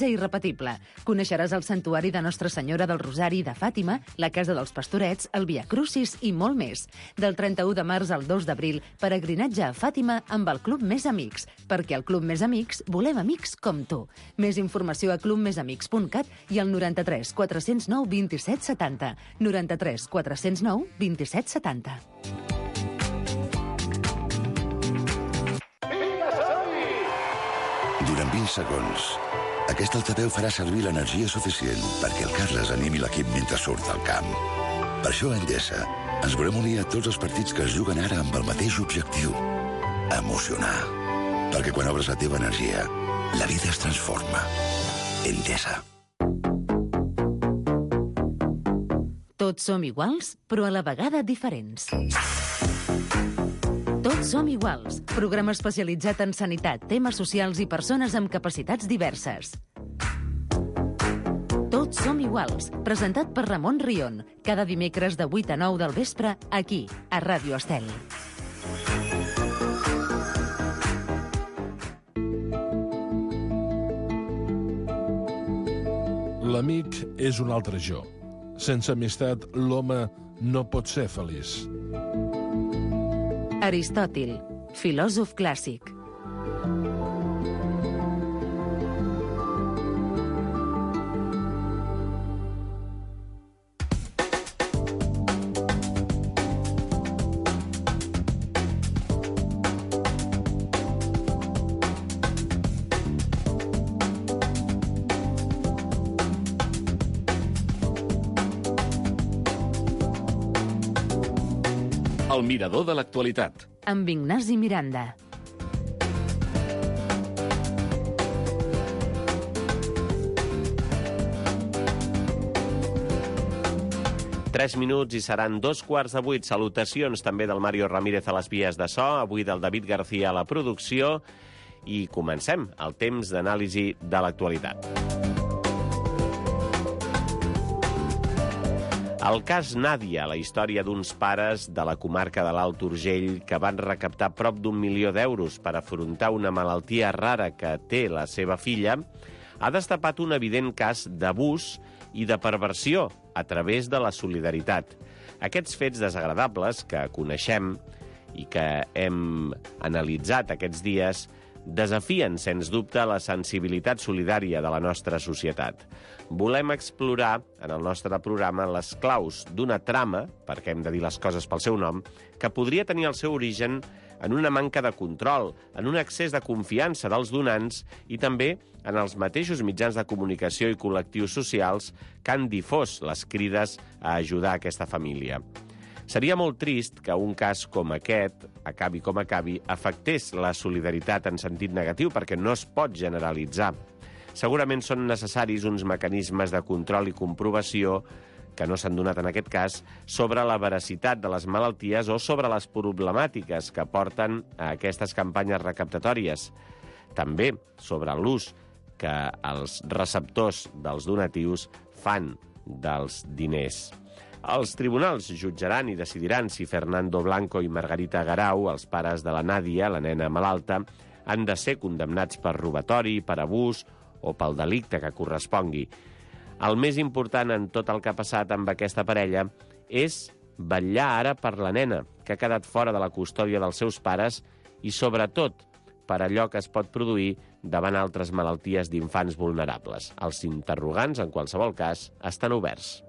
irrepetible. Coneixeràs el santuari de Nostra Senyora del Rosari de Fàtima, la Casa dels Pastorets, el Via Crucis i molt més. Del 31 de març al 2 d'abril, peregrinatge a Fàtima amb el Club Més Amics, perquè al Club Més Amics volem amics com tu. Més informació a clubmesamics.cat i al 93 409 27 70. 93 409 27 70. Durant 20 segons, aquest altaveu farà servir l'energia suficient perquè el Carles animi l'equip mentre surt al camp. Per això a Endesa ens volem unir a tots els partits que es juguen ara amb el mateix objectiu: emocionar. Perquè quan obres la teva energia, la vida es transforma. Endesa. Tots som iguals, però a la vegada diferents. Tots som iguals. Programa especialitzat en sanitat, temes socials i persones amb capacitats diverses. Tots som iguals. Presentat per Ramon Rion. Cada dimecres de 8 a 9 del vespre, aquí, a Ràdio Estel. L'amic és un altre jo. Sense amistat, l'home no pot ser feliç. Aristòtil, filòsof clàssic. El mirador de l'actualitat. Amb Ignasi Miranda. Tres minuts i seran 7:15. Salutacions també del Mario Ramírez a les vies de so, avui del David García a la producció, i comencem el temps d'anàlisi de l'actualitat. El cas Nàdia, la història d'uns pares de la comarca de l'Alt Urgell que van recaptar prop d'1 milió d'euros per afrontar una malaltia rara que té la seva filla, ha destapat un evident cas d'abús i de perversió a través de la solidaritat. Aquests fets desagradables que coneixem i que hem analitzat aquests dies desafien, sens dubte, la sensibilitat solidària de la nostra societat. Volem explorar, en el nostre programa, les claus d'una trama, perquè hem de dir les coses pel seu nom, que podria tenir el seu origen en una manca de control, en un excés de confiança dels donants i també en els mateixos mitjans de comunicació i col·lectius socials que han difós les crides a ajudar aquesta família. Seria molt trist que un cas com aquest, acabi com acabi, afectés la solidaritat en sentit negatiu, perquè no es pot generalitzar. Segurament són necessaris uns mecanismes de control i comprovació, que no s'han donat en aquest cas, sobre la veracitat de les malalties o sobre les problemàtiques que porten a aquestes campanyes recaptatòries. També sobre l'ús que els receptors dels donatius fan dels diners. Els tribunals jutjaran i decidiran si Fernando Blanco i Margarita Garau, els pares de la Nàdia, la nena malalta, han de ser condemnats per robatori, per abús o pel delicte que correspongui. El més important en tot el que ha passat amb aquesta parella és vetllar ara per la nena, que ha quedat fora de la custòdia dels seus pares, i sobretot per allò que es pot produir davant altres malalties d'infants vulnerables. Els interrogants, en qualsevol cas, estan oberts.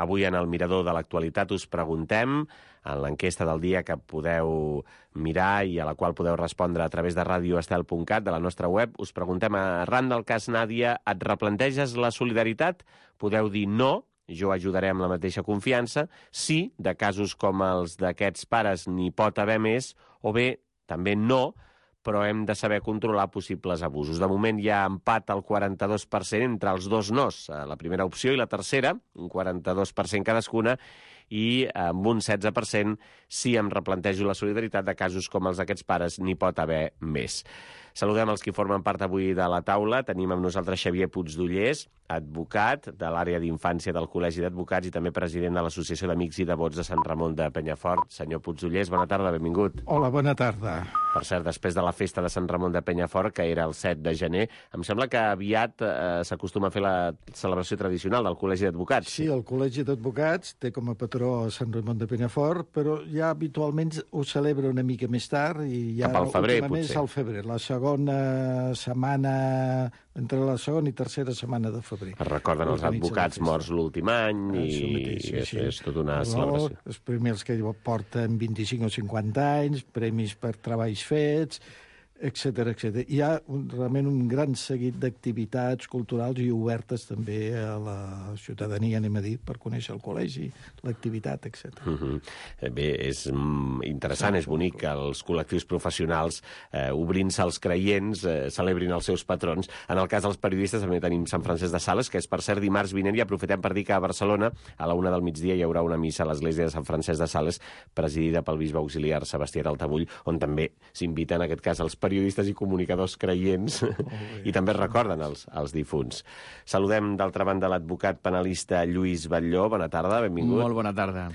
Avui en el Mirador de l'Actualitat us preguntem, en l'enquesta del dia que podeu mirar i a la qual podeu respondre a través de radioestel.cat, de la nostra web, us preguntem, arran del cas Nàdia, et replanteges la solidaritat? Podeu dir no, jo ajudaré amb la mateixa confiança, sí, de casos com els d'aquests pares n'hi pot haver més, o bé, també no, però hem de saber controlar possibles abusos. De moment hi ha empat al 42% entre els dos nos, la primera opció i la tercera, un 42% cadascuna, i amb un 16% si em replantejo la solidaritat de casos com els d'aquests pares n'hi pot haver més. Saludem els qui formen part avui de la taula. Tenim amb nosaltres Xavier Puigdollers, advocat de l'àrea d'infància del Col·legi d'Advocats i també president de l'Associació d'Amics i Devots de Sant Ramon de Penyafort. Senyor Puigdollers, bona tarda, benvingut. Hola, bona tarda. Per cert, després de la festa de Sant Ramon de Penyafort, que era el 7 de gener, em sembla que aviat s'acostuma a fer la celebració tradicional del Col·legi d'Advocats. Sí, el Col·legi d'Advocats té com a patró Sant Ramon de Penyafort, però ja habitualment ho celebra una mica més tard i ja cap al febrer, últimament és al febrer, la segona setmana, entre la segona i tercera setmana de febrer. Es recorden els advocats morts l'últim any és tota una celebració. Els primers que porten 25 o 50 anys, premis per treballs fets, etc. Hi ha realment un gran seguit d'activitats culturals i obertes també a la ciutadania, anem a dir, per conèixer el col·legi, l'activitat, etc. Bé, és interessant, és bonic que els col·lectius professionals, obrint-se als creients, celebrin els seus patrons. En el cas dels periodistes també tenim Sant Francesc de Sales, que és, per cert, dimarts vinent, i aprofitem per dir que a Barcelona, a la 1 del migdia, hi haurà una missa a l'església de Sant Francesc de Sales, presidida pel bisbe auxiliar Sebastià d'Altabull, on també s'invita, en aquest cas, els periodistes i comunicadors creients i també recorden els difunts. Saludem, d'altra banda, l'advocat penalista Lluís Batlló. Bona tarda, benvingut. Molt bona tarda.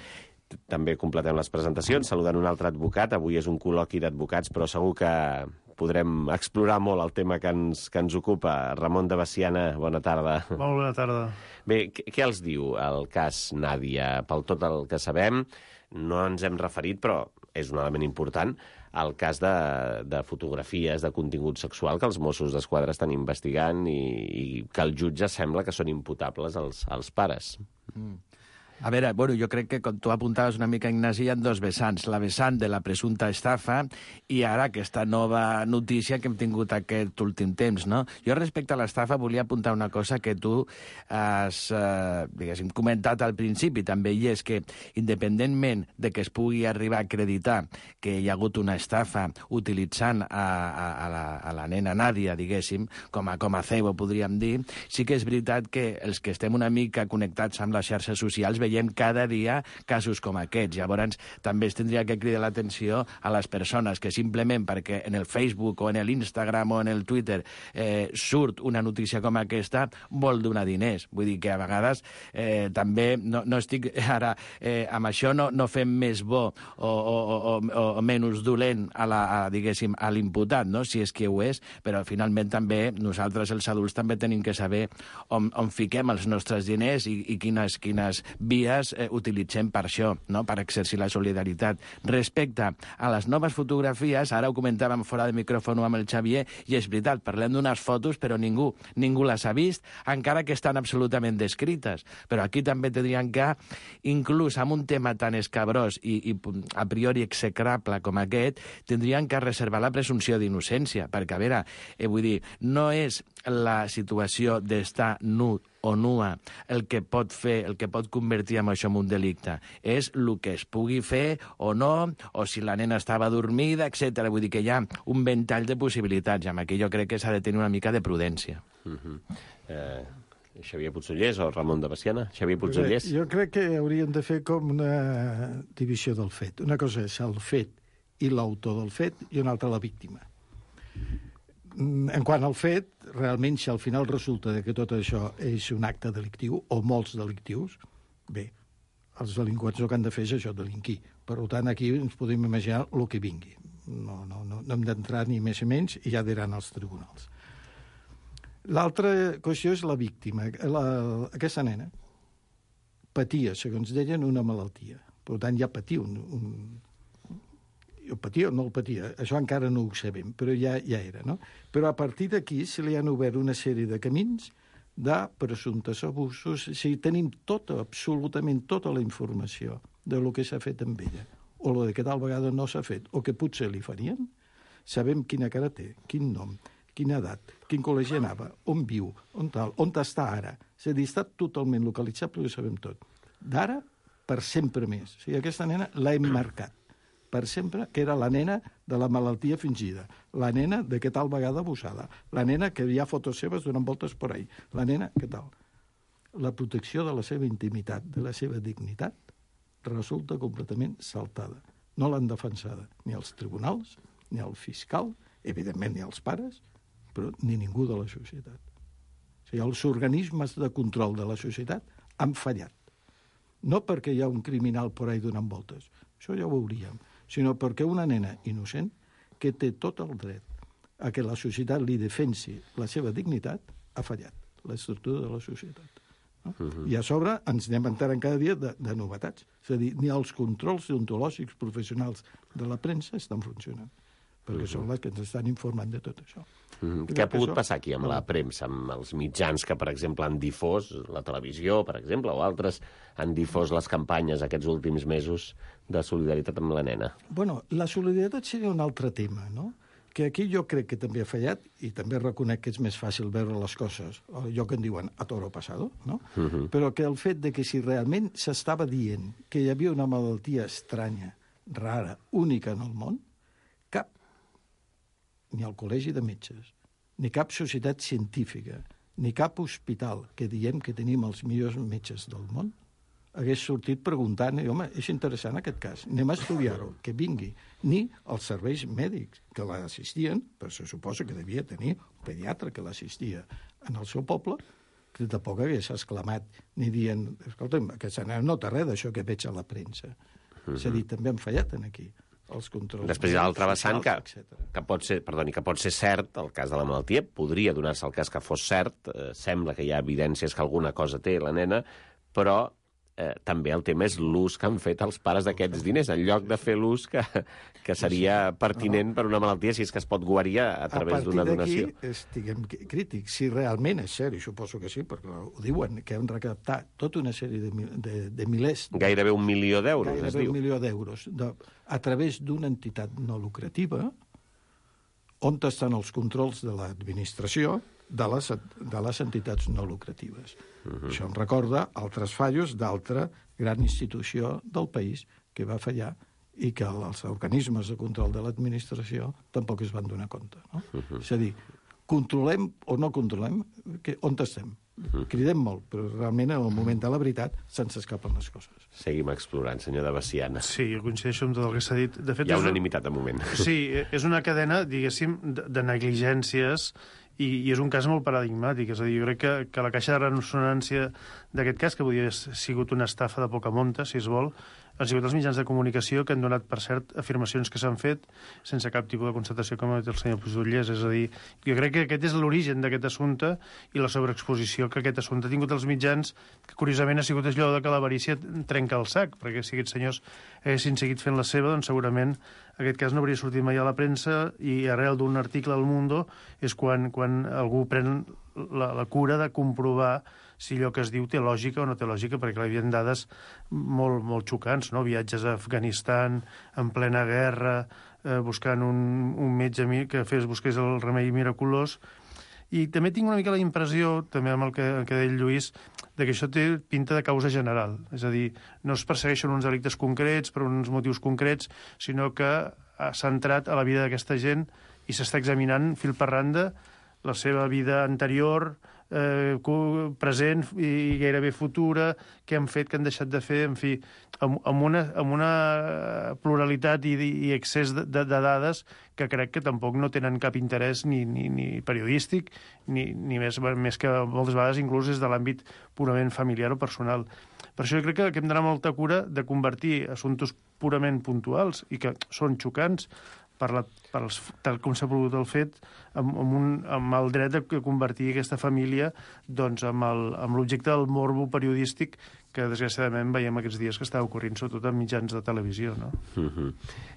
També completem les presentacions, saludant un altre advocat. Avui és un col·loqui d'advocats, però segur que podrem explorar molt el tema que ens ocupa. Ramon de Veciana, bona tarda. Molt bona tarda. Bé, què els diu el cas Nàdia? Pel tot el que sabem, no ens hem referit, però és un element important, al cas de fotografies de contingut sexual que els Mossos d'Esquadra estan investigant i que el jutge sembla que són imputables als pares. A veure, bueno, jo crec que, com tu apuntaves una mica, Ignasi, hi ha dos vessants. La vessant de la presumpta estafa i ara aquesta nova notícia que hem tingut aquest últim temps, no? Jo, respecte a l'estafa, volia apuntar una cosa que tu has, diguéssim, comentat al principi també, i és que, independentment de que es pugui arribar a acreditar que hi ha hagut una estafa utilitzant a la nena Nàdia, diguéssim, com a cebo, podríem dir, sí que és veritat que els que estem una mica connectats amb les xarxes socials veiem cada dia casos com aquests. Llavors, també es tindria que cridar l'atenció a les persones que simplement perquè en el Facebook o en l'Instagram o en el Twitter surt una notícia com aquesta, vol donar diners. Vull dir que a vegades també no estic ara amb això no fem més bo o menys dolent diguéssim, a l'imputat, no? Si és que ho és, però finalment també nosaltres, els adults, també tenim que saber on fiquem els nostres diners i quines vies utilitzem per això, no? Per exercir la solidaritat. Respecte a les noves fotografies, ara ho comentàvem fora de micròfon amb el Xavier, i és veritat, parlem d'unes fotos, però ningú les ha vist, encara que estan absolutament descrites. Però aquí també tindrien que, inclús amb un tema tan escabrós i a priori execrable com aquest, tindrien que reservar la presumpció d'innocència, perquè, a veure, vull dir, no és la situació d'estar nu o nua el que pot convertir en això en un delicte. És el que es pugui fer o no, o si la nena estava dormida, etc. Vull dir que hi ha un ventall de possibilitats, i amb aquí jo crec que s'ha de tenir una mica de prudència. Xavier Puigdollers o Ramon de Veciana? Xavier Puigdollers? Jo crec que hauríem de fer com una divisió del fet. Una cosa és el fet i l'autor del fet, i una altra la víctima. En quant al fet, realment, si al final resulta que tot això és un acte delictiu, o molts delictius, bé, els delinqüents el que han de fer és això, delinquir. Per tant, aquí ens podem imaginar el que vingui. No hem d'entrar ni més ni menys, i ja diran els tribunals. L'altra qüestió és la víctima. Aquesta nena patia, segons deien, una malaltia. Per tant, ja patia el patia o no el patia, això encara no ho sabem, però ja era, no? Però a partir d'aquí se li han obert una sèrie de camins de presumptes abusos, si tenim absolutament tota la informació de lo que s'ha fet amb ella, o lo que tal vegada no s'ha fet, o que potser li farien, sabem quina cara té, quin nom, quina edat, quin col·legi anava, on viu, on està ara. És a dir, està totalment localitzable, ho sabem tot. D'ara, per sempre més. O sigui, aquesta nena l'hem marcat per sempre, que era la nena de la malaltia fingida, la nena de que tal vegada abusada, la nena que hi ha fotos seves donant voltes per ahí, la nena que tal. La protecció de la seva intimitat, de la seva dignitat, resulta completament saltada. No l'han defensada ni els tribunals, ni el fiscal, evidentment ni els pares, però ni ningú de la societat. O sigui, els organismes de control de la societat han fallat. No perquè hi ha un criminal por ahí donant voltes, això ja ho veuríem, sinó perquè una nena innocent que té tot el dret a que la societat li defensi la seva dignitat ha fallat, l'estructura de la societat. No? I a sobre ens anem enterant cada dia de novetats. És a dir, ni els controls deontològics professionals de la premsa estan funcionant, perquè són les que ens estan informant de tot això. Què ha pogut passar aquí amb la premsa, amb els mitjans que, per exemple, han difós, la televisió, per exemple, o altres, han difós les campanyes aquests últims mesos de solidaritat amb la nena? Bueno, la solidaritat seria un altre tema, no? Que aquí jo crec que també ha fallat, i també reconec que és més fàcil veure les coses, allò que en diuen a toro pasado, no? Però que el fet de que si realment s'estava dient que hi havia una malaltia estranya, rara, única en el món, cap, ni el col·legi de metges, ni cap societat científica, ni cap hospital que diem que tenim els millors metges del món, hagués sortit preguntant, home, és interessant aquest cas, anem a estudiar-ho, que vingui. Ni els serveis mèdics que l'assistien, però se suposa que devia tenir un pediatre que l'assistia en el seu poble, que tampoc hagués exclamat ni dient, escolta'm, aquesta nena no té res d'això que veig a la premsa. És a dir, també han fallat aquí els controls. Després hi ha l'altre vessant que pot ser cert, el cas de la malaltia, podria donar-se el cas que fos cert, sembla que hi ha evidències que alguna cosa té la nena, però també el tema és l'ús que han fet els pares d'aquests diners, en lloc de fer l'ús que seria pertinent per una malaltia, si és que es pot guarir a través d'una donació. A partir d'aquí, estiguem crítics. Si realment és cert, i suposo que sí, perquè ho diuen, que han recaptat tota una sèrie de milers... Gairebé $1 milió, es diu. Gairebé $1 milió a través d'una entitat no lucrativa, on estan els controls de l'administració de les entitats no lucratives. Això em recorda altres fallos d'altra gran institució del país que va fallar i que els organismes de control de l'administració tampoc es van donar compte. No? És a dir, controlem o no controlem, on estem? Cridem molt, però realment en el moment de la veritat se'ns escapen les coses. Seguim explorant, senyor de Veciana. Sí, jo coincideixo amb tot el que s'ha dit. De fet, hi ha unanimitat de moment. Sí, és una cadena, diguéssim, de negligències i és un cas molt paradigmàtic. És a dir, jo crec que la caixa de ressonància d'aquest cas, que podria haver sigut una estafa de poca monta, si es vol, han sigut els mitjans de comunicació que han donat, per cert, afirmacions que s'han fet sense cap tipus de constatació, com ha dit el senyor Pujollers. És a dir, jo crec que aquest és l'origen d'aquest assumpte i la sobreexposició que aquest assumpte ha tingut els mitjans, que curiosament ha sigut allò de que l'avarícia trenca el sac, perquè si aquests senyors haguessin seguit fent la seva, doncs segurament aquest cas no hauria sortit mai a la premsa i arrel d'un article al Mundo és quan algú pren la cura de comprovar si allò que es diu té lògica o no té lògica, perquè hi havia dades molt, molt xocants, no? Viatges a Afganistan, en plena guerra, buscant un metge que busqués el remei miraculós. I també tinc una mica la impressió, també amb el que deia el Lluís, de que això té pinta de causa general. És a dir, no es persegueixen uns delictes concrets per uns motius concrets, sinó que s'ha entrat a la vida d'aquesta gent i s'està examinant fil per randa la seva vida anterior, present i gairebé futura, què han fet, què han deixat de fer, en fi, amb una pluralitat i excés de dades que crec que tampoc no tenen cap interès ni periodístic, ni més que moltes vegades inclús és de l'àmbit purament familiar o personal. Per això jo crec que hem d'anar molta cura de convertir assumptes purament puntuals i que són xocants tal com s'ha produït el fet, amb el dret de convertir aquesta família doncs, amb l'objecte del morbo periodístic que desgraciadament veiem aquests dies que està ocorrint sobretot en mitjans de televisió. No?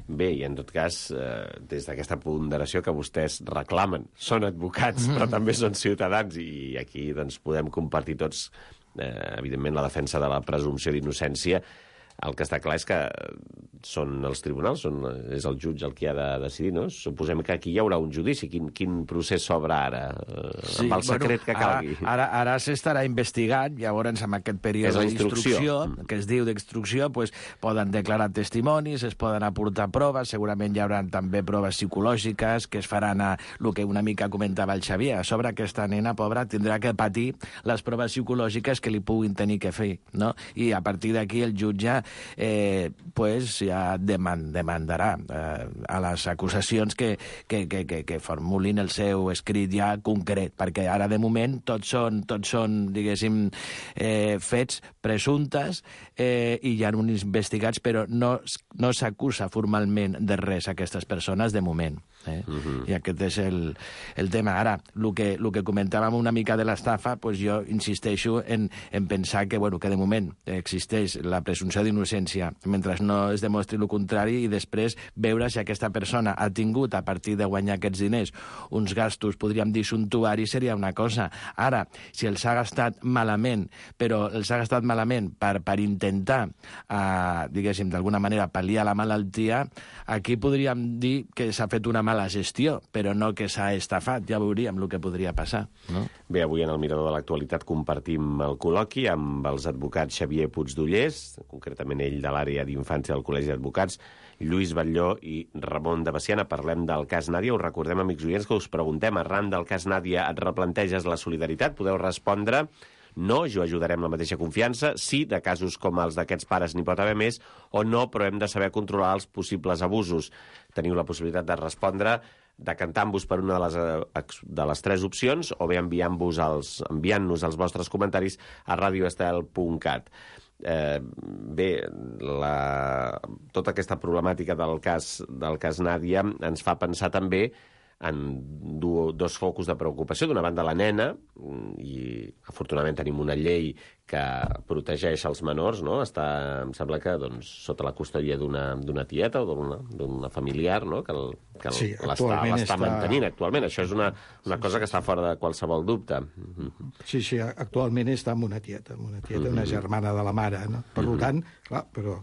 Bé, i en tot cas, des d'aquesta ponderació que vostès reclamen, són advocats però també són ciutadans i aquí doncs, podem compartir tots, evidentment, la defensa de la presumpció d'innocència. El que està clar és que són els tribunals, és el jutge el que ha de decidir, no? Suposem que aquí hi haurà un judici. Quin procés s'obre ara? Amb el secret que calgui. Ara s'estarà investigant, llavors amb aquest període d'instrucció, que es diu d'instrucció, pues, poden declarar testimonis, es poden aportar proves, segurament hi haurà també proves psicològiques que es faran a el que una mica comentava el Xavier. A sobre aquesta nena pobra tindrà que patir les proves psicològiques que li puguin tenir que fer, no? I a partir d'aquí el jutge pues ja demandarà a les acusacions que formulin el seu escrit ja concret, perquè ara de moment tots són diguéssim, fets presumptes i hi ha uns investigats, però no s'acusa formalment de res a aquestes persones de moment. I aquest és el tema. Ara, el que comentàvem una mica de l'estafa, pues jo insisteixo en pensar que de moment existeix la presumpció d'innocència mentre no es demostri el contrari, i després veure si aquesta persona ha tingut, a partir de guanyar aquests diners, uns gastos, podríem dir, suntuaris, seria una cosa. Ara, si els ha gastat malament, però els ha gastat malament per intentar, diguéssim, d'alguna manera pal·liar la malaltia, aquí podríem dir que s'ha fet una mala gestió, però no que s'ha estafat. Ja veuríem el que podria passar, no? Bé, avui en el Mirador de l'Actualitat compartim el col·loqui amb els advocats Xavier Puigdollers, concretament ell de l'àrea d'infància del Col·legi d'Advocats, Lluís Batlló i Ramon de Veciana. Parlem del cas Nàdia. Us recordem, amics oients, que us preguntem, arran del cas Nàdia, et replanteges la solidaritat? Podeu respondre: no, jo ajudaré amb la mateixa confiança. Sí, de casos com els d'aquests pares n'hi pot haver més. O no, però hem de saber controlar els possibles abusos. Teniu la possibilitat de respondre decantant-vos per una de les tres opcions, o bé enviant-nos els vostres comentaris a radioestel.cat. Bé, tota aquesta problemàtica del cas Nàdia ens fa pensar també en dos focus de preocupació. D'una banda, la nena, i afortunadament tenim una llei que protegeix els menors, no? Està, em sembla que sota la custòdia d'una tieta o d'una familiar, no? que l'està mantenint actualment. Això és una cosa que està fora de qualsevol dubte. Sí, actualment està amb una tieta, una germana de la mare, no? Per tant, clar, però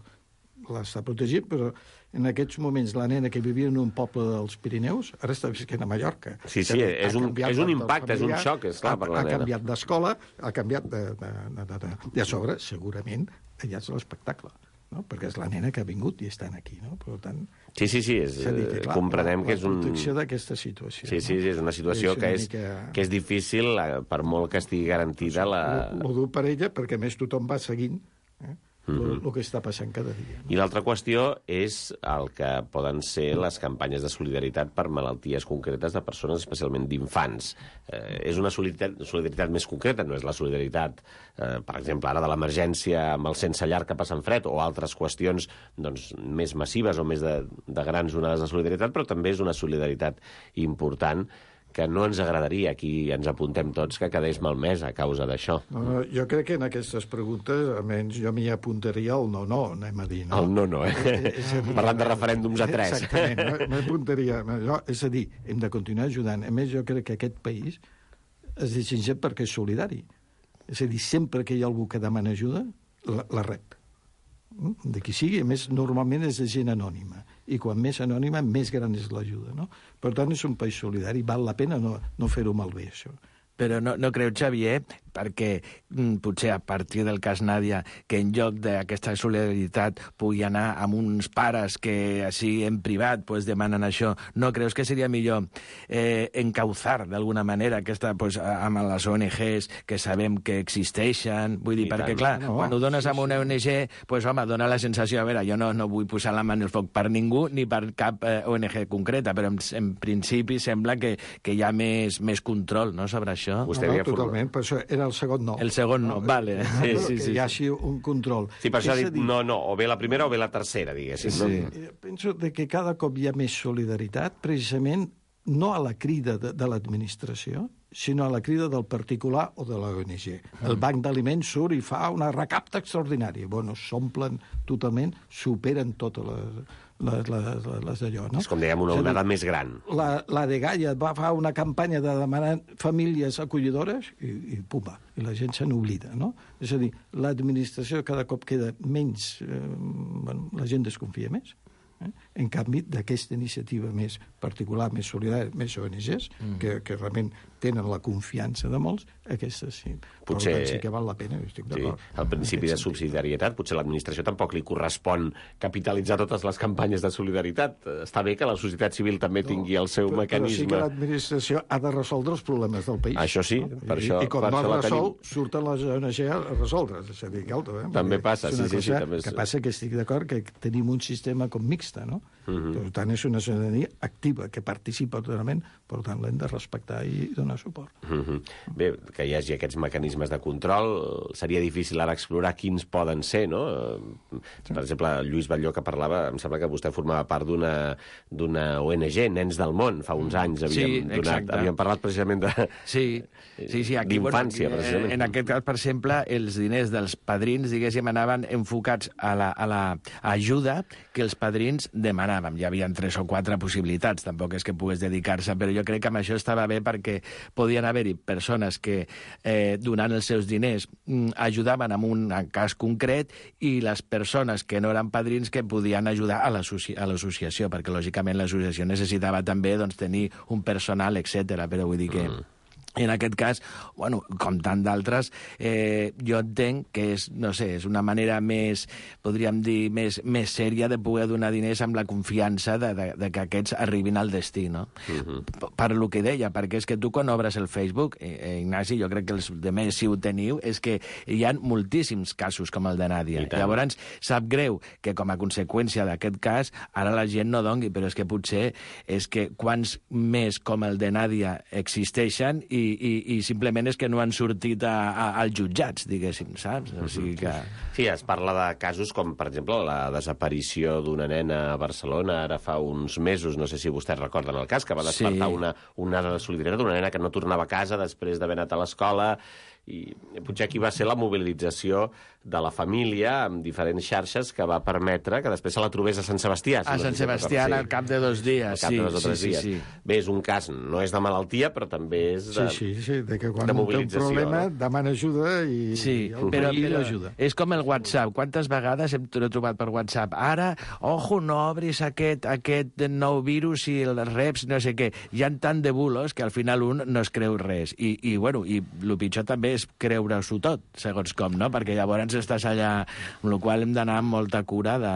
l'està protegint, però en aquests moments la nena que vivia en un poble dels Pirineus ara està visquent a Mallorca. Sí, és un impacte, és un xoc, és clar, per la nena. Ha canviat d'escola, ha canviat de sobre, segurament, allà és l'espectacle, no? Perquè és la nena que ha vingut i estan aquí, no? Per tant... Sí, comprenem que és un... La protecció d'aquesta situació. Sí, és una situació que és difícil, per molt que estigui garantida la... Ho dur per ella, perquè més tothom va seguint el que està passant cada dia. I l'altra qüestió és el que poden ser les campanyes de solidaritat per malalties concretes de persones, especialment d'infants. És una solidaritat més concreta, no és la solidaritat, per exemple, ara de l'emergència amb el sense llar que passen fred, o altres qüestions més massives o més de grans onades de solidaritat, però també és una solidaritat important que no ens agradaria, aquí ens apuntem tots, que quedés malmès a causa d'això. No, jo crec que en aquestes preguntes, almenys jo m'hi apuntaria el no, anem a dir. No? El no, parlant de referèndums a 3. Exactament, m'apuntaria. És a dir, hem de continuar ajudant. A més, jo crec que aquest país es distingeix perquè és solidari. És a dir, sempre que hi ha algú que demana ajuda, la rep. De qui sigui, a més, normalment és de gent anònima. I quan més anònima, més gran és l'ajuda, no? Per tant, és un país solidari. Val la pena no fer-ho malbé, això. Però no creu, Xavier, perquè potser a partir del cas Nàdia, que en lloc d'aquesta solidaritat pugui anar amb uns pares que així en privat demanen això, no creus que seria millor encauzar d'alguna manera aquesta, amb les ONGs que sabem que existeixen? Vull dir, perquè clar, quan ho dones amb una ONG, home, dona la sensació, a veure, jo no vull posar la mà en el foc per ningú ni per cap ONG concreta, però en principi sembla que hi ha més control, no?, sobre això. Totalment, per això era el segon no. El segon no, vale. Sí. Que hi hagi un control. Sí, per això ha dit no, o bé la primera o bé la tercera, diguéssim. Sí. Penso que cada cop hi ha més solidaritat, precisament no a la crida de l'administració, sinó a la crida del particular o de l'ONG. El banc d'aliments surt i fa una recapta extraordinària. S'omplen totalment, superen totes les d'allò, no? És com dèiem, una onada més gran. La de Gaia va fer una campanya de demanar famílies acollidores i pumba, i la gent se n'oblida, no? És a dir, l'administració cada cop queda menys... la gent desconfia més. En canvi, d'aquesta iniciativa més particular, més solidària, més ONGs, que realment tenen la confiança de molts, aquestes sí. Potser... Però sí que val la pena, estic d'acord. Sí, el principi de subsidiarietat, potser a l'administració tampoc li correspon capitalitzar totes les campanyes de solidaritat. Està bé que la societat civil també tingui el seu mecanisme. Però sí que l'administració ha de resoldre els problemes del país. Això sí, per això... I com no es resol, surten les ONG a resoldre. És a dir, també passa, sí. També que passa que estic d'acord que tenim un sistema com mixta, no? Per tant, és una ciutadania activa, que participa totalment, per tant, l'hem de respectar i donar suport. Bé, que hi hagi aquests mecanismes de control, seria difícil ara explorar quins poden ser, no? Per exemple, Lluís Batlló, que parlava, em sembla que vostè formava part d'una ONG, Nens del Món, fa uns anys havíem parlat precisament de... Sí, d'infància, precisament. En aquest cas, per exemple, els diners dels padrins, diguéssim, anaven enfocats a l'ajuda que els padrins demanàvem. Hi havia 3 o 4 possibilitats, tampoc és que pogués dedicar-se, però jo crec que amb això estava bé perquè podien haver-hi persones que, donant els seus diners, ajudaven en un cas concret i les persones que no eren padrins que podien ajudar a l'associació, perquè, lògicament, l'associació necessitava també tenir un personal, etc. Però vull dir que... En aquest cas, bueno, com tant d'altres, jo entenc que és, no sé, és una manera més, podríem dir, més sèria de poder donar diners amb la confiança de que aquests arribin al destí, no? Per lo que deia, perquè és que tu quan obres el Facebook, Ignasi, jo crec que els demés si ho teniu, és que hi ha moltíssims casos com el de Nàdia. Llavors, sap greu que com a conseqüència d'aquest cas, ara la gent no dongui, però és que potser és que quants més com el de Nàdia existeixen i simplement és que no han sortit als jutjats, diguéssim, saps? O sigui que... Sí, es parla de casos com, per exemple, la desaparició d'una nena a Barcelona ara fa uns mesos, no sé si vostès recorden el cas, que va despertar una onada de solidaritat, una nena que no tornava a casa després d'haver anat a l'escola, i potser aquí va ser la mobilització de la família amb diferents xarxes que va permetre que després se la trobés a Sant Sebastià. A Sant Sebastià al cap de 2 dies. Al cap de 2 o 3 dies. Bé, és un cas, no és de malaltia, però també és de Sí, de que quan té un problema demana ajuda i però l'ajuda. És com el WhatsApp. Quantes vegades hem trobat per WhatsApp? Ara, ojo, no obris aquest nou virus i els reps, no sé què. Hi ha tant de bulos que al final un no es creu res. I el pitjor també és creure-s'ho tot, segons com, no? Perquè llavors estàs allà, amb la qual hem d'anar amb molta cura de...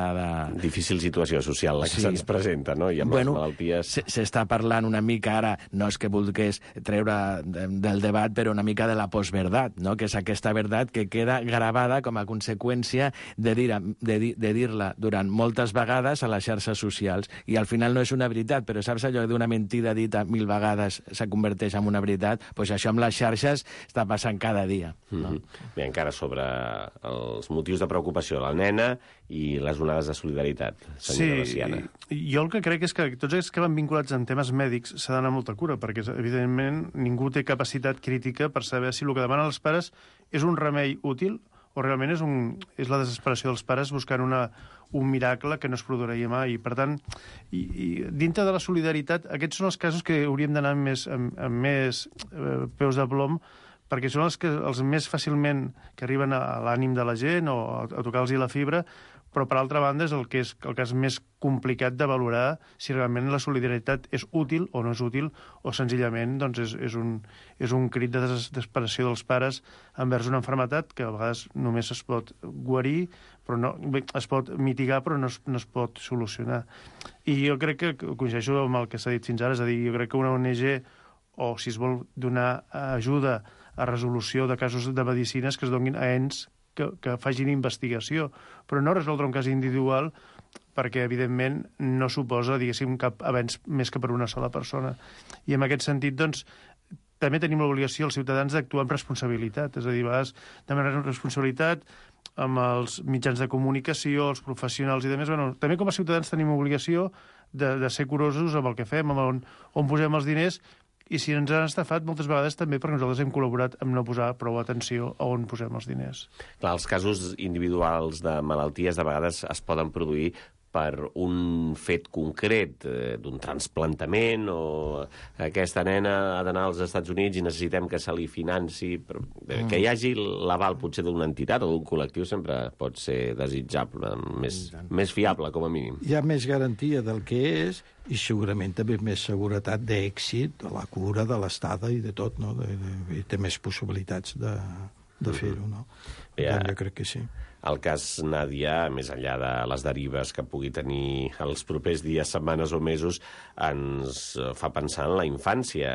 Difícil situació social la que se'ns presenta, no? I amb les malalties... S'està parlant una mica ara, no és que vulgués treure del debat, però una mica de la postverdat, no? Que és aquesta veritat que queda gravada com a conseqüència de dir-la durant moltes vegades a les xarxes socials. I al final no és una veritat, però saps allò d'una mentida dita 1000 vegades se converteix en una veritat? Doncs això amb les xarxes està passant cada dia. No? Bé, encara sobre els motius de preocupació de la nena i les onades de solidaritat, senyora Veciana. Jo el que crec és que tots aquells que van vinculats en temes mèdics s'ha d'anar molta cura, perquè, evidentment, ningú té capacitat crítica per saber si el que demanen els pares és un remei útil o realment és la desesperació dels pares buscant un miracle que no es produiria mai. I, per tant, dintre de la solidaritat, aquests són els casos que hauríem d'anar amb més peus de plom, perquè són els més fàcilment que arriben a l'ànim de la gent o a tocar-los la fibra, però, per altra banda, és el cas més complicat de valorar si realment la solidaritat és útil o no és útil, o senzillament és un crit de desesperació dels pares envers una malaltia que a vegades només es pot guarir, però es pot mitigar, però no es pot solucionar. I jo crec que coincideixo amb el que s'ha dit fins ara, és a dir, jo crec que una ONG, o si es vol donar ajuda a resolució de casos de medicines, que es donin a ens que facin investigació, però no resoldre un cas individual perquè, evidentment, no suposa, diguéssim, cap avenç més que per una sola persona. I en aquest sentit, doncs, també tenim l'obligació, els ciutadans, d'actuar amb responsabilitat. És a dir, a vegades demanar responsabilitat amb els mitjans de comunicació, els professionals i demés. Bueno, també com a ciutadans tenim obligació de ser curosos amb el que fem, amb on posem els diners, i si ens han estafat, moltes vegades també perquè nosaltres hem col·laborat amb no posar prou atenció a on posem els diners. Clar, els casos individuals de malalties de vegades es poden produir per un fet concret d'un trasplantament o aquesta nena ha d'anar als Estats Units i necessitem que se li financi. Que hi hagi l'aval potser d'una entitat o d'un col·lectiu sempre pot ser desitjable, més fiable, com a mínim. Hi ha més garantia del que és i segurament també més seguretat d'èxit de la cura, de l'estada i de tot, no? I té més possibilitats de fer-ho, no? Jo crec que sí. El cas Nàdia, més enllà de les derives que pugui tenir els propers dies, setmanes o mesos, ens fa pensar en la infància,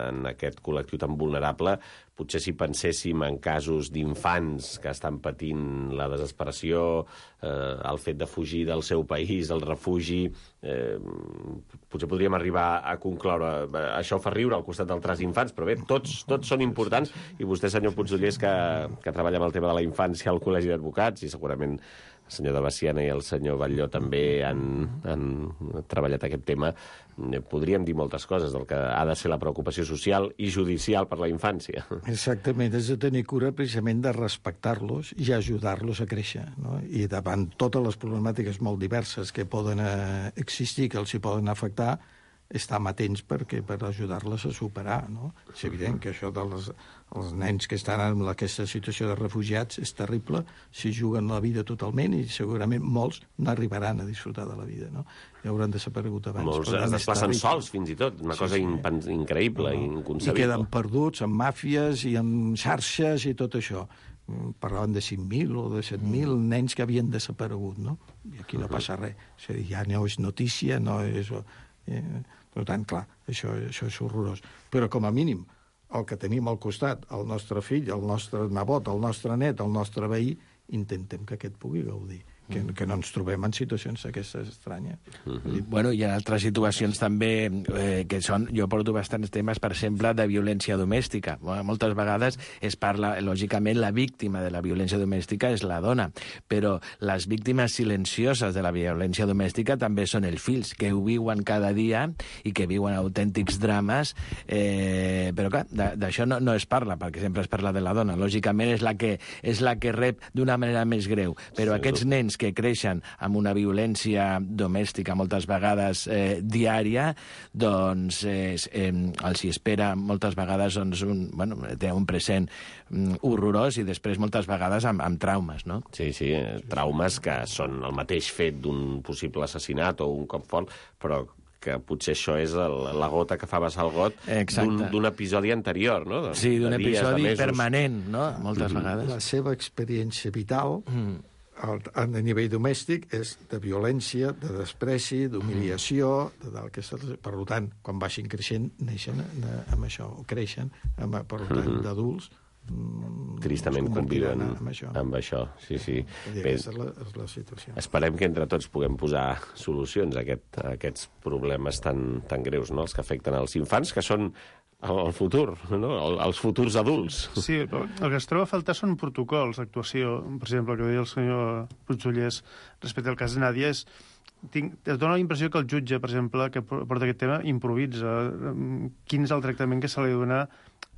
en aquest col·lectiu tan vulnerable. Potser si penséssim en casos d'infants que estan patint la desesperació, el fet de fugir del seu país, el refugi, potser podríem arribar a concloure això fa riure al costat d'altres infants, però bé, tots són importants, i vostè, senyor Puigdollers, que treballa amb el tema de la infància al Col·legi d'Advocats, i segurament el senyor de Baciana i el senyor Batlló també han treballat aquest tema, podríem dir moltes coses del que ha de ser la preocupació social i judicial per la infància. Exactament, és de tenir cura precisament de respectar-los i ajudar-los a créixer, no? I davant totes les problemàtiques molt diverses que poden existir, que els hi poden afectar, estar amatents per ajudar-les a superar, no? És evident que això dels nens que estan en aquesta situació de refugiats és terrible, s'hi juguen la vida totalment i segurament molts no arribaran a disfrutar de la vida, no? I hauran desaparegut abans. Molts es desplacen sols, fins i tot, una cosa increïble, inconcebible. I queden perduts en màfies i en xarxes i tot això. Parlaven de 5.000 o de 7.000 nens que havien desaparegut, no? I aquí no passa res. És a dir, ja no és notícia, no és... Per tant, clar, això és horrorós. Però, com a mínim, el que tenim al costat, el nostre fill, el nostre nebot, el nostre net, el nostre veí, intentem que aquest pugui gaudir. Que no ens trobem en situacions aquestes estranyes. Bueno, hi ha altres situacions també que són... Jo porto bastants temes, per exemple, de violència domèstica. Moltes vegades es parla, lògicament, la víctima de la violència domèstica és la dona, però les víctimes silencioses de la violència domèstica també són els fills, que ho viuen cada dia i que viuen autèntics drames, però clar, d'això no es parla, perquè sempre es parla de la dona. Lògicament és la que rep d'una manera més greu, però aquests nens que creixen amb una violència domèstica moltes vegades diària, doncs els hi espera moltes vegades un present horrorós i després moltes vegades amb traumes, no? Sí, traumes que són el mateix fet d'un possible assassinat o un cop fort, però que potser això és la gota que fa vessar el got d'un episodi anterior, no? Sí, d'un episodi permanent, no? Moltes vegades. La seva experiència vital a nivell domèstic és de violència, de despreci, d'humiliació, per tant, quan vagin creixent, neixen amb això, o creixen, per tant, d'adults, tristament conviven amb això. Sí. Aquesta és la situació. Esperem que entre tots puguem posar solucions a aquests problemes tan greus, no? Els que afecten els infants, que són el futur, no? Els futurs adults. Sí, però el que es troba a faltar són protocols d'actuació. Per exemple, el que deia el senyor Puigdollers respecte al cas Nàdia es dona la impressió que el jutge, per exemple, que porta aquest tema, improvisa. Quin és el tractament que se li dona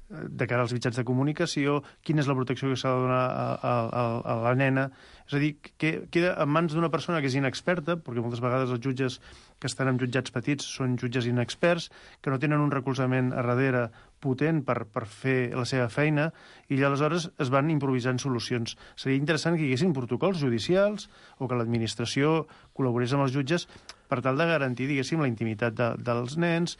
de cara als mitjans de comunicació, quina és la protecció que s'ha de donar a la nena. És a dir, que queda en mans d'una persona que és inexperta, perquè moltes vegades els jutges que estan en jutjats petits són jutges inexperts, que no tenen un recolzament a darrere potent per fer la seva feina, i aleshores es van improvisant solucions. Seria interessant que hi haguessin protocols judicials o que l'administració col·laborés amb els jutges per tal de garantir, diguéssim, la intimitat dels nens,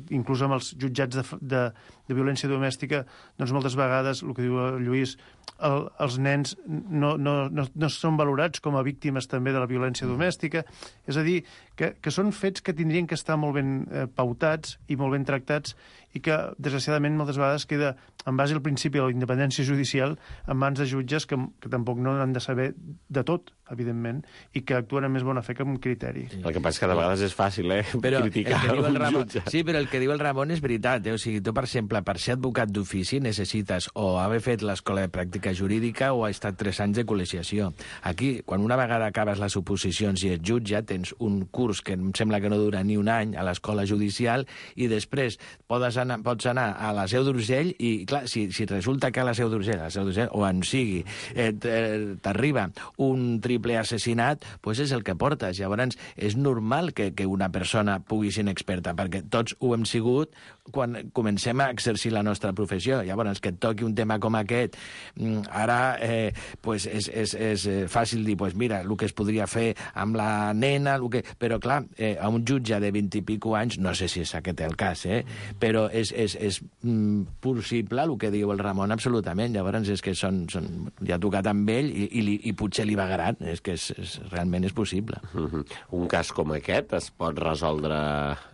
inclús amb els jutjats de violència domèstica, doncs moltes vegades, el que diu el Lluís, els nens no són valorats com a víctimes també de la violència domèstica. És a dir, que són fets que tindrien que estar molt ben pautats i molt ben tractats i que, desgraciadament, moltes vegades queda, en base al principi de la independència judicial, en mans de jutges que tampoc no han de saber de tot, evidentment, i que actuen amb més bona fe que amb criteri. El que passa és que de vegades és fàcil, criticar un jutge. Sí, però el que diu el Ramon és veritat. O sigui, tu, per exemple, per ser advocat d'ofici necessites o haver fet l'escola de pràctica jurídica o ha estat 3 anys de col·legiació. Aquí, quan una vegada acabes les oposicions i ets jutge, tens un curs que em sembla que no dura ni un any a l'escola judicial i després podes pots anar a la Seu d'Urgell i, clar, si resulta que a la Seu d'Urgell, o on sigui, t'arriba un triple assassinat, doncs és el que portes. Llavors, és normal que una persona pugui ser inexperta, perquè tots ho hem sigut quan comencem a exercir la nostra professió. Llavors, que et toqui un tema com aquest, ara és fàcil dir, mira, el que es podria fer amb la nena, però clar, a un jutge de 20 i pico anys, no sé si és aquest el cas, però és possible el que diu el Ramon, absolutament. Llavors és que ja ha tocat amb ell i potser li vagaran, és que realment és possible. Un cas com aquest es pot resoldre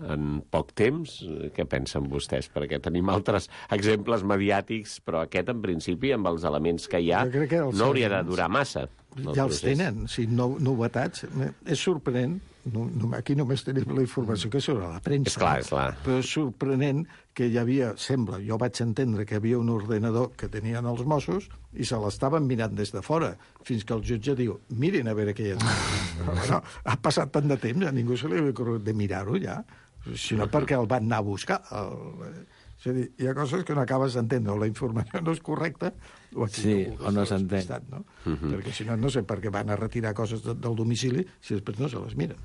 en poc temps? Què pensen vostès? Perquè tenim altres exemples mediàtics, però aquest, en principi, amb els elements que hi ha, no hauria de durar massa. Ja els tenen, novetats. És sorprenent, aquí només tenim la informació que sobre la premsa. És clar. Però és sorprenent que hi havia, sembla, jo vaig entendre que hi havia un ordenador que tenien els Mossos i se l'estaven mirant des de fora, fins que el jutge diu, mirin a veure què hi ha. Però ha passat tant de temps, a ningú se li havia ocorregut de mirar-ho ja, sinó perquè el van anar a buscar. És a dir, hi ha coses que no acabes d'entendre, o la informació no és correcta, o no s'entén. No? Perquè si no, no sé per què van a retirar coses del domicili si després no se les miren.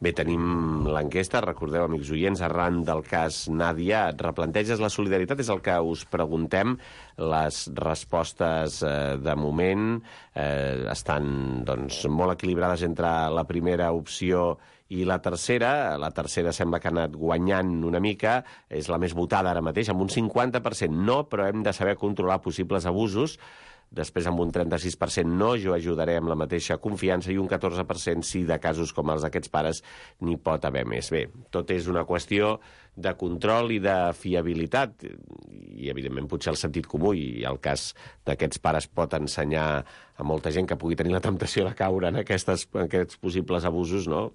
Bé, tenim l'enquesta, recordeu, amics oients, arran del cas Nàdia, et replanteges la solidaritat? És el que us preguntem. Les respostes, de moment, estan molt equilibrades entre la primera opció i la tercera sembla que ha anat guanyant una mica, és la més votada ara mateix, amb un 50% no, però hem de saber controlar possibles abusos. Després, amb un 36% no, jo ajudaré amb la mateixa confiança, i un 14% sí, de casos com els d'aquests pares n'hi pot haver més. Bé, tot és una qüestió de control i de fiabilitat, i evidentment potser el sentit comú, i el cas d'aquests pares pot ensenyar a molta gent que pugui tenir la temptació de caure en aquests possibles abusos, no?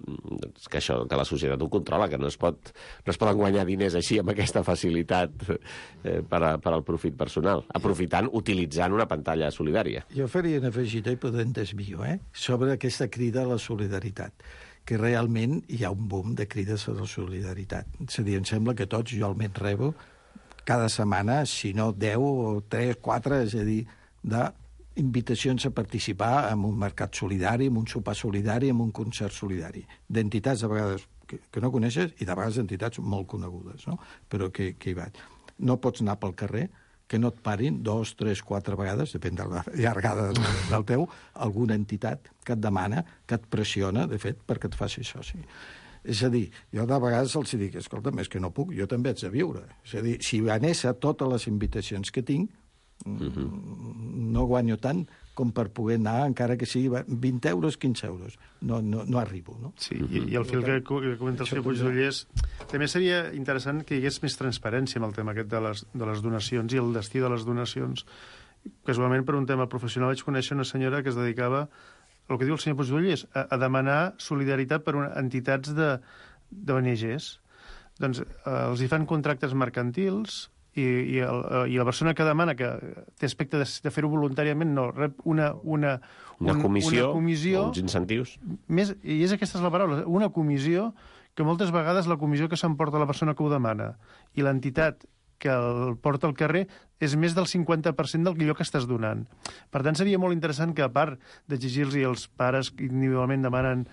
Que la societat ho controla, que no es poden guanyar diners així amb aquesta facilitat per al profit personal, utilitzant una pantalla solidària. Jo faria una afegida i podem desvio, sobre aquesta crida a la solidaritat, que realment hi ha un boom de crides a la solidaritat. És a dir, em sembla que tots, jo almenys rebo, cada setmana, si no 10 o 3, 4, és a dir, d'invitacions a participar en un mercat solidari, en un sopar solidari, en un concert solidari. D'entitats, a vegades, que no coneixes, i de vegades entitats molt conegudes, no? Però que hi vaig. No pots anar pel carrer, que no et parin 2, 3, 4 vegades, depèn de la llargada del teu, alguna entitat que et demana, que et pressiona, de fet, perquè et faci soci. És a dir, jo de vegades els dic, escolta'm, és que no puc, jo també haig de viure. És a dir, si anés a totes les invitacions que tinc, no guanyo tant com per poder anar, encara que sigui 20 euros, 15 euros. No arribo, no? Sí, i el fil que comenta el senyor Puigdollers, també seria interessant que hi hagués més transparència amb el tema aquest de les donacions i el destí de les donacions. Casualment, per un tema professional, vaig conèixer una senyora que es dedicava, el que diu el senyor Puigdollers, a demanar solidaritat per entitats d'ONGs. Doncs els hi fan contractes mercantils, i la persona que demana, que té aspecte de fer-ho voluntàriament, no, rep una comissió, uns incentius. I aquesta és la paraula, una comissió, que moltes vegades la comissió que s'emporta la persona que ho demana i l'entitat que el porta al carrer és més del 50% del que estàs donant. Per tant, seria molt interessant que, a part d'exigir-los als pares que individualment demanen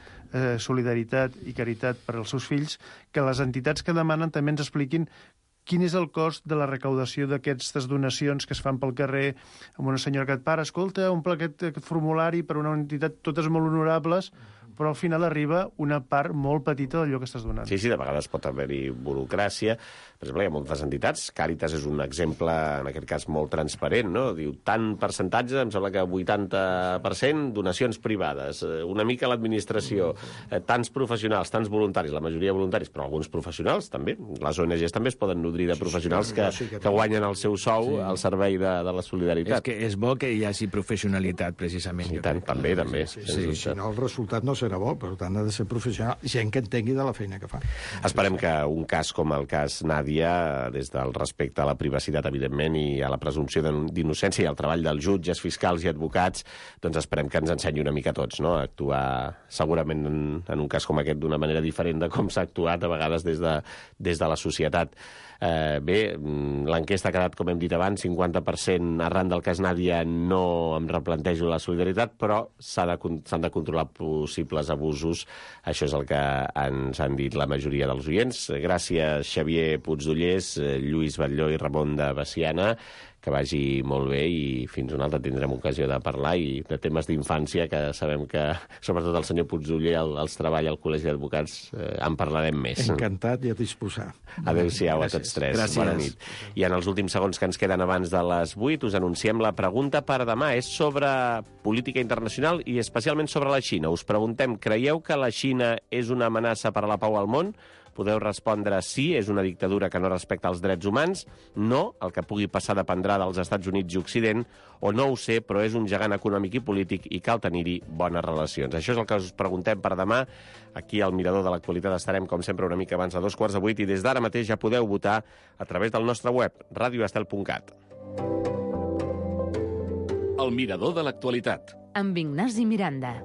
solidaritat i caritat per als seus fills, que les entitats que demanen també ens expliquin quin és el cost de la recaudació d'aquestes donacions que es fan pel carrer amb una senyora que et para, escolta, omple aquest formulari per una entitat, totes molt honorables, però al final arriba una part molt petita d'allò que estàs donant. Sí, de vegades pot haver-hi burocràcia. Per exemple, hi ha moltes entitats. Càritas és un exemple, en aquest cas, molt transparent, no? Diu, tant percentatge, em sembla que 80%, donacions privades, una mica l'administració, tants professionals, tants voluntaris, la majoria voluntaris, però alguns professionals també. Les ONGs també es poden nodrir de professionals que guanyen el seu sou al servei de la solidaritat. És que és bo que hi hagi professionalitat, precisament. I tant, també. Si no, el resultat no serà bo, per tant, ha de ser professional, gent que entengui de la feina que fa. Esperem que un cas com el cas Nàdia, des del respecte a la privacitat, evidentment, i a la presumpció d'innocència i al treball dels jutges, fiscals i advocats, doncs esperem que ens ensenyi una mica a tots, no? A actuar segurament en un cas com aquest d'una manera diferent de com s'ha actuat a vegades des de la societat. Bé, l'enquesta ha quedat, com hem dit abans, 50% arran del cas Nàdia no em replantejo la solidaritat, però s'han de controlar possibles abusos. Això és el que ens han dit la majoria dels oients. Gràcies, Xavier Puigdollers, Lluís Batlló i Ramon de Veciana. Que vagi molt bé i fins una altra tindrem ocasió de parlar i de temes d'infància, que sabem que, sobretot el senyor Puigdoller, els treballa al Col·legi d'Advocats, en parlarem més. Encantat i a disposar. Adéu-siau a tots tres. Gràcies. Bona nit. I en els últims segons que ens queden abans de les 8 us anunciem la pregunta per demà. És sobre política internacional i especialment sobre la Xina. Us preguntem, creieu que la Xina és una amenaça per a la pau al món? Podeu respondre sí, és una dictadura que no respecta els drets humans, no, el que pugui passar dependrà dels Estats Units i Occident, o no ho sé, però és un gegant econòmic i polític i cal tenir-hi bones relacions. Això és el que us preguntem per demà. Aquí al Mirador de l'Actualitat estarem, com sempre, una mica abans de 7:45 i des d'ara mateix ja podeu votar a través del nostre web, radioestel.cat. El Mirador de l'Actualitat. Amb Ignasi Miranda.